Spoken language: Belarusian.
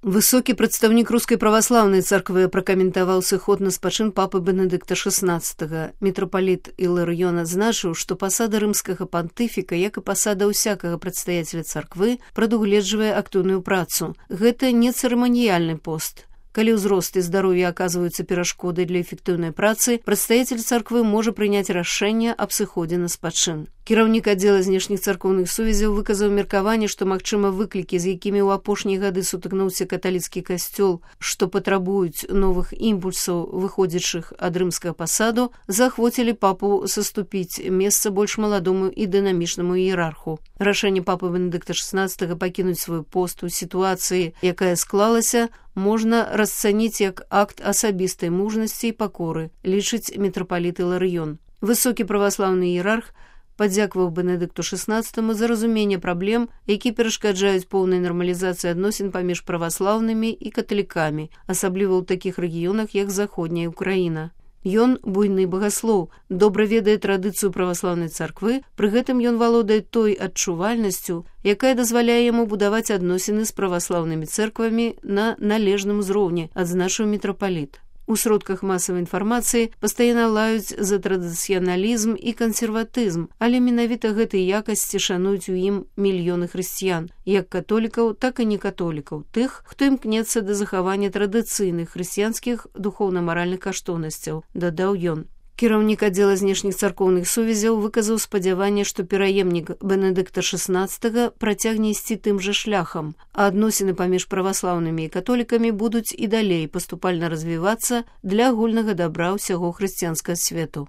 Высокі прадстаўнік рускай праваслаўнай царквы пракаментаваў сыход на спачын папы Бенедыкта XVI. Мітрапаліт Іларыён адзначыў, што пасада рымскага пантыфіка, як і пасада ўсякага прадстаяцеля царквы, прадугледжвае актыўную працу. Гэта не цырыманіяльны пост. Калі ўзрост і здароўе аказваюцца перашкодай для эфектыўнай працы, прадстаяцель царквы можа прыняць рашэнне аб сыходзе на спачын. Кіраўнік аддзела знешніх царкоўных сувязяў выказаў меркаванне, што, магчыма, выклікі, з якімі ў апошнія гады сутыкнуўся каталіцкі касцёл, што патрабуюць новых імпульсаў, выходзячых ад рымскага пасаду, заахвоцілі папу саступіць месца больш маладому і дынамічнаму іерарху. Рашэнне папы Бенедыкта XVI пакінуць свой пост у сітуацыі, якая склалася, можна расцаніць як акт асабістай мужнасці і пакоры, лічыць мітрапаліт Іларыён. Высокі праваслаўны іерарх падзякаваў Бенедыкту XVI за разуменне праблем, які перашкаджаюць поўнай нармалізацыі адносін паміж праваслаўнымі і каталікамі, асабліва ў такіх рэгіёнах, як заходняя Украіна. Ён буйны багаслоў, добра ведае традыцыю праваслаўнай царквы, пры гэтым ён валодае той адчувальнасцю, якая дазваляе яму будаваць адносіны з праваслаўнымі цэрквамі на належным узроўні, адзначыў мітрапаліт. У сродках масавай інфармацыі пастаянна лаюць за традыцыяналізм і кансерватызм, але менавіта гэтай якасці шануюць у ім мільёны хрысціян, як католікаў, так і некатолікаў, тых, хто імкнецца да захавання традыцыйных хрысціянскіх духоўна-маральных каштоўнасцяў, дадаў ён. Кіраўнік аддзела знешніх царкоўных сувязяў выказаў спадзяванне, што пераемнік Бенедыкта XVI працягне ісці тым жа шляхам, а адносіны паміж праваслаўнымі і католікамі будуць і далей паступальна развівацца для агульнага дабра ўсяго хрысціянскага свету.